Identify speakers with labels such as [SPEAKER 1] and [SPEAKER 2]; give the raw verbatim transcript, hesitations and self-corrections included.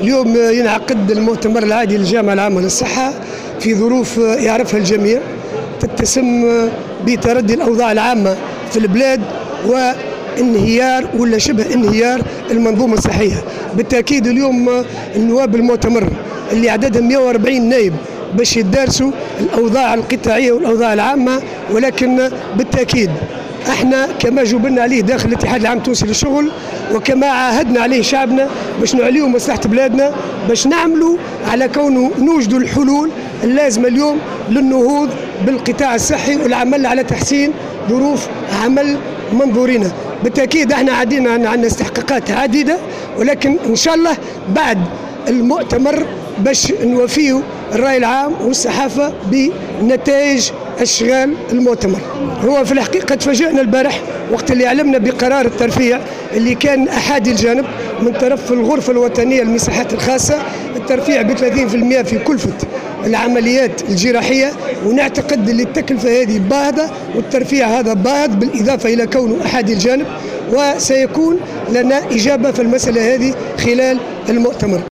[SPEAKER 1] اليوم ينعقد المؤتمر العادي للجامعة العامة للصحة في ظروف يعرفها الجميع، تتسم بتردي الأوضاع العامة في البلاد وانهيار ولا شبه انهيار المنظومة الصحية. بالتأكيد اليوم النواب المؤتمر اللي عددهم مئة وأربعين نائب باش يدارسوا الأوضاع القطاعية والأوضاع العامة، ولكن بالتأكيد احنا كما جبلنا عليه داخل الاتحاد العام التونسي للشغل وكما عاهدنا عليه شعبنا باش نعليو مصلحة بلادنا، باش نعملوا على كونه نوجدوا الحلول اللازمة اليوم للنهوض بالقطاع الصحي والعمل على تحسين ظروف عمل منظورنا. بالتأكيد احنا عدينا عندنا استحقاقات عديدة، ولكن ان شاء الله بعد المؤتمر باش نوفيه الرأي العام والصحافة بنتائج أشغال المؤتمر. هو في الحقيقة تفاجئنا البارح وقت اللي علمنا بقرار الترفيع اللي كان أحادي الجانب من طرف الغرفة الوطنية للمساحات الخاصة، الترفيع ب ثلاثين بالمئة في كلفة العمليات الجراحية، ونعتقد اللي التكلفة هذه باهظة والترفيع هذا باهظ بالإضافة إلى كونه أحادي الجانب، وسيكون لنا إجابة في المسألة هذه خلال المؤتمر.